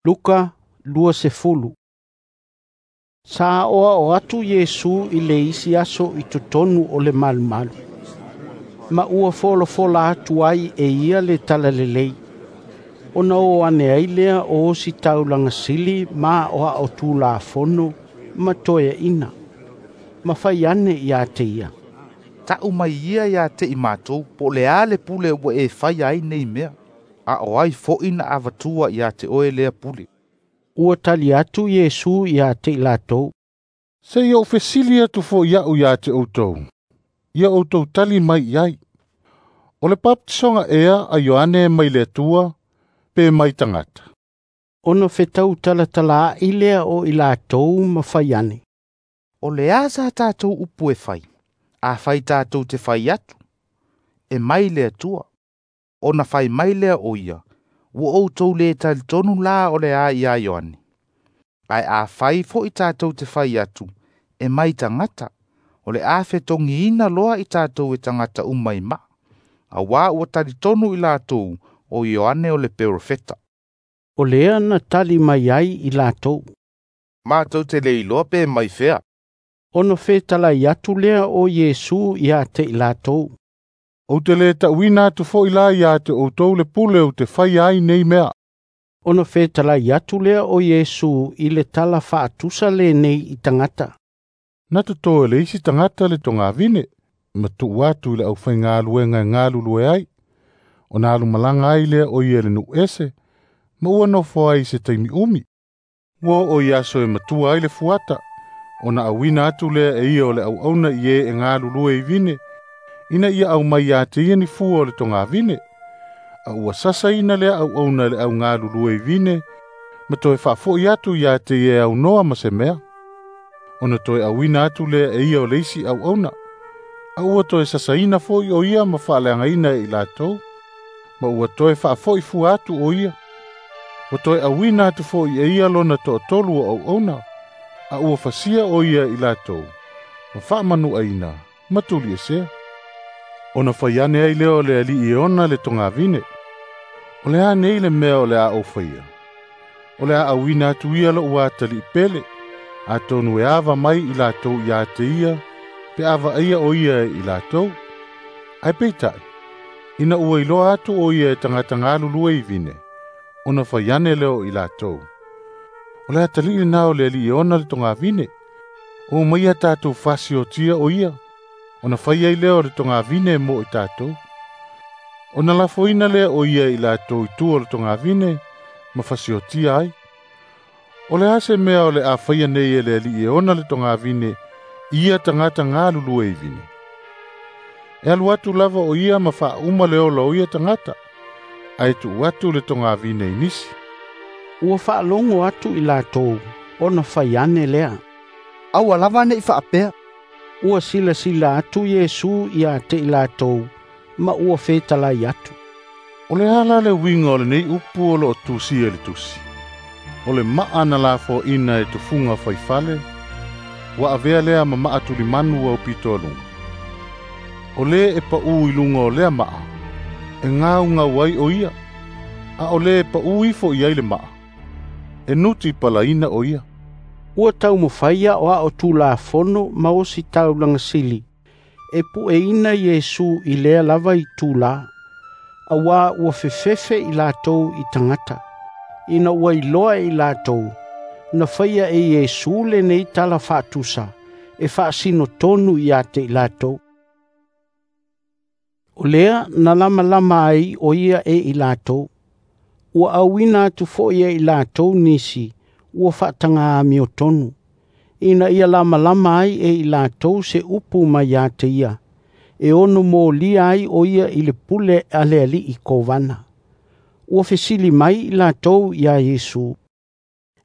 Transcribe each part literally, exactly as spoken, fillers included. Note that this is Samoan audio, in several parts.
Luka luasefulu. Sa aoao atu Iesu i le isi aso i totonu o le malumalu. Ma ua folafola atu ai e ia le talalelei. Ona o ane ai lea o ositaulaga sili ma aoao Tulafono ma toeaina. Ma fai ane ia te ia: "Ta'u mai ia ia te i matou po o le a le pule ua e faia ai nei mea, a o ai fo'i na avatua ia te oe lea pule." Ua tali atu Iesu ia te i latou: "Se i ou fesili atu fo'i a'u ia te outou, ia outou tali mai i ai. O le papatisoga ea a Ioane mai le Atua pe mai tagata?" Ona fetau talatalaai lea o i latou ma fai ane: "O le a sa tatou upu e fai? Afai tatou te fai atu, e mai le Atua, ona fai mai lea o ia, ua outou lē talitonu la o le a iā Ioane. Ae afai fo'i tatou te fai atu, e mai tagata, o le a fetogiina loa i tatou e tagata uma i maa, auā ua talitonu i latou o Ioane o le perofeta." O lea na tali mai ai i latou: "Matou te le iloa pe mai fea." Ona fetalai atu lea o Iesu ia te i latou: "Ou te lē ta'uina atu fo'i la ia te outou le pule ou te faia ai nei mea." Ona fetalai atu lea o Iesu i le tala faatusa lenei i tagata: "Na totō e le isi tagata le togavine, ma tuu atu i le aufaigaluega e galulue ai. Ona alumalaga ai lea o ia i le nuu ese, ma ua nofo ai i se taimi umi. Ua oo i aso e matua ai le fuata, ona auina atu lea e ia o le auauna i e e galulue i vine, ina ia aumai ia te ia ni fua o le togavine. A ua sasaina lea auauna e le augalulue i vine, ma toe faafo'i atu ia te ia e aunoa ma se mea. Ona toe auina atu lea e ia o le isi auauna, a ua toe sasaina fo'i o ia ma faaleagaina e i latou, ma ua toe faafo'i fua atu o ia. Ua toe auina atu fo'i e ia lona toatolu o auauna, a ua fasia o ia i latou, ma faamanuaina ma tuliesea. Ona fai ane ai lea o le alii e ona le togavine, O le a nei le mea o le a ou faia? O le a auina atu ia lo'u atalii pele, atonu e ava mai i latou ia te ia, pe a vaaia o ia e i latou. Ae peitai, ina ua iloa atu o ia e tagata galulue i vine, ona fai ane lea o i latou, O le atalii lenā o le alii e ona le togavine, o maia tatou fasiotia o ia, ona fai ai lea o le togavine mo i tatou. Ona lafoina lea o ia i latou i tua o le togavine, ma fasiotia ai. O le a se mea o le a faia nei e le alii e ona le togavine i ia tagata galulue i vine? E alu atu lava o ia ma faauma le ola o ia tagata, ae tuu atu le togavine i nisi." Ua faalogo atu i latou, ona fai ane lea: "Aua lava ne'i faapea." Ua silasila atu Iesu ia te i latou, ma ua fetalai atu: "O le a la le uiga o lenei upu o loo tusia i le tusi? O le maa na lafoaina e tufuga faifale, ua avea lea ma maa tulimanu aupito aluga. O lē e paʻu i luga o lea maa, e gaugau ai o ia, a o lē e paʻu ifo i ai le maa, e nuti palaina o ia." Ua taumafai aoao Tulafono ma ositaulaga sili e pueina Iesu i lea lava itulā, auā ua fefefe i latou i tagata, ina ua iloa e i latou, na faia e Iesu lenei tala faatusa e faasino tonu ia te i latou. O lea na lamalama ai o ia e i latou. Ua auina atu fo'i e i latou nisi ua faataga amiotonu, ina ia lamalama ai e i latou se upu mai ia te ia, e ono molia ai o ia i le pule a le alii kovana. Ua fesili mai i latou iā Iesu: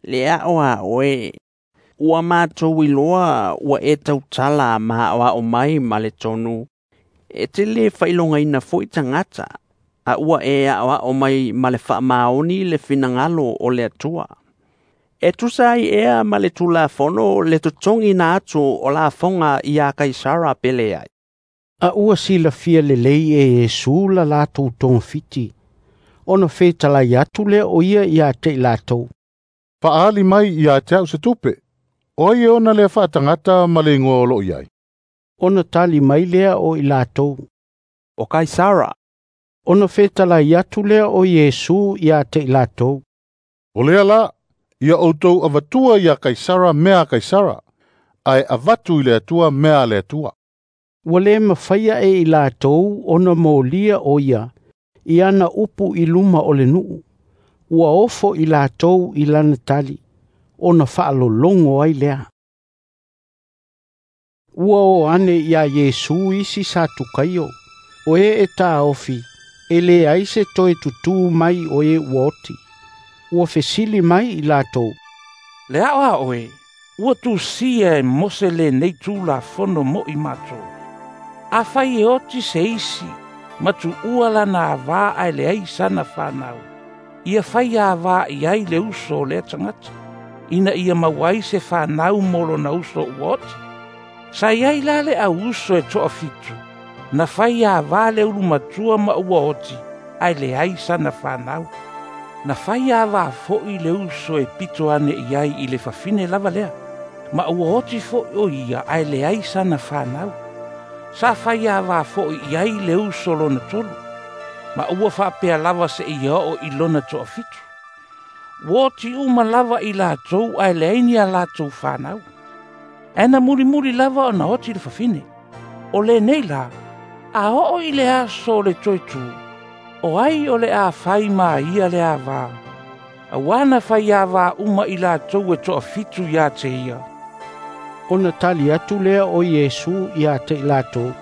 "Le ao a oe, ua matou iloa ua e tautala ma aoao mai ma le tonu, e te lē faailogaina fo'i tagata, a ua e aoao mai ma le faamaoni le finagalo o le Atua. E tusa ai ea ma le Tulafono le totogiina atu o lafoga iā Kaisara pe leai?" A ua silafia lelei e Iesu la latou togafiti, ona fetalai atu lea o ia ia te i latou: Fa'aali mai ia te au se tupe. O ai e ona lea fa'atagata ma le igoa o lo'o i ai. Ona tali mai lea o i latou. O Kaisara. Ona fetalai atu lea o Iesu ia te i latou. O lea la, ia outou avatua ia Kaisara mea a Kaisara, ae avatu i le Atua mea a le Atua. Ua le mafaia e i latou ona molia o ia, i ana upu i luma o le nuu. Ua ofo i latou i lana tali, ona faalologo ai lea. Ua o ane ia Iesu isi Satukaio, o e e tāofi, e le ai se toe tutū mai o e ua oti. Ua fesili mai i latou. Le ao a oe, ua tusia e Mose lenei tulafono mo'i matou. Afai e oti se isi, ma tuua lana avā ae leai sana fanau. Ia fai avā i ai le uso o lea tagata, ina ia maua ai se fanau mo lona uso ua oti. Sa iai la le au uso e toafitu, na fai avā le ulumatua ma ua oti, ae leai sana fanau. Na fai avā fo'i le uso e pito ane i ai i le fafine lava lea, ma ua oti fo'i o ia ae leai sana fanau. Sa fai avā fo'i i ai le uso lona tolu, ma ua faapea lava seia oo i lona toafitu. Ua oti uma lava i latou ae leai ni a latou fanau. Ae na mulimuli lava ona oti le fafine. O lenei la, a oo i le aso o le toe tū, o ai o le a fai ma ia le avā. Auā na fai avā uma i latou e toafitu ia te ia. Ona tali atu lea o Iesu ia te i latou.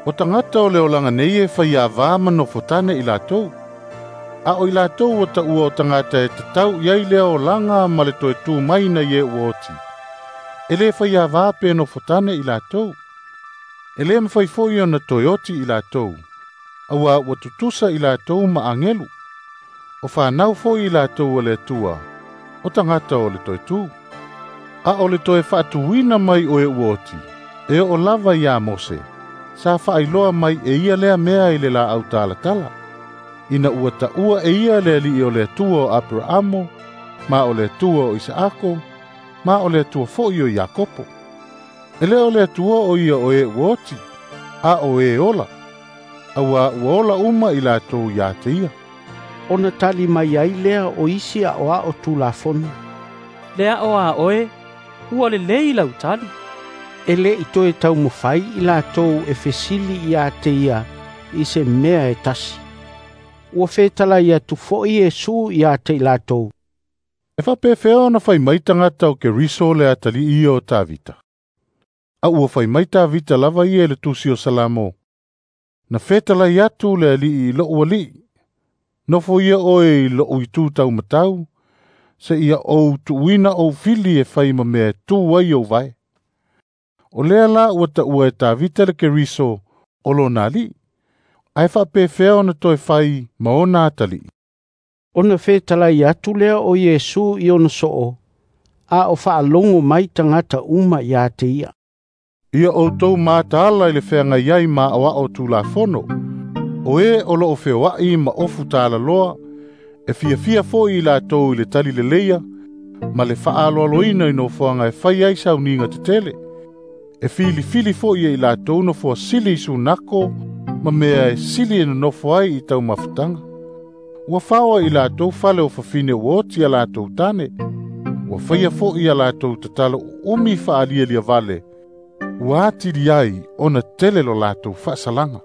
O tagata o le olaga nei e fai avā ma nofotane i latou. A o i latou ua ta'ua o tagata e tatau i ai lea olaga ma le toe tū mai na i e ua oti. E lē fai avā pe nofotane i latou. E lē mafai fo'i ona toe oti i latou. Auā ua tutusa i latou ma agelu. O fanau fo'i i latou o le Atua, o tagata o le toe tū. A o le toe fa'atuina mai o e ua oti, e oo lava iā Mose, sa fa'ailoa mai e ia lea mea i le la'au talatala. Ina ua ta'ua e ia le ali'i o le Atua o Aperaamo, ma o le Atua o Isaako, ma o le Atua fo'i o Iakopo. E lē o le Atua o ia o e ua oti, a o e ola. Auā ua ola uma i latou iā te ia. Ona tali mai ai lea o isi a'oa'o tulafono. Le a'o a oe, ua lelei lau tali. E lē i toe taumafai i latou e fesili ia te ia i se mea e tasi. Ua fetalai atu fo'i Iesu ia te i latou. E fa'apefea ona fai mai tagata o Keriso le atali'i ia o Tavita. A ua fai mai Tavita lava ia i le tusi o Salamo. Na fetalai atu le ali'i i lo'u ali'i. Nofo ia oe i lo'u itū taumatau, seia ou tuuina ou fili e fai ma mea e tū ai ou vae. O lea la ua ta'ua e Tavita le Keriso o lona ali'i. Ae fa'apefea ona toe fai ma ona atali'i. Ona fetalai atu lea o Iesu i ona so'o, a o fa'alogo mai tagata uma ia te ia. Ia outou mataala i le feagai ai ma a'oa'o tulafono. O e o lo'o feoa'i ma ofu talaloa, e fiafia fo'i i latou i le tali leleia, ma le fa'aaloaloina i nofoaga e fai ai sauniga tetele. E filifili fo'i e i latou nofoa sili i sunako, ma mea e sili e nonofo ai i taumafataga. Ua faoa i latou fale o fafine ua oti a latou tane. Ua faia fo'i a latou tatalo uumi fa'alialia vale. Ua atili ai ona tele lo latou fa'asalaga.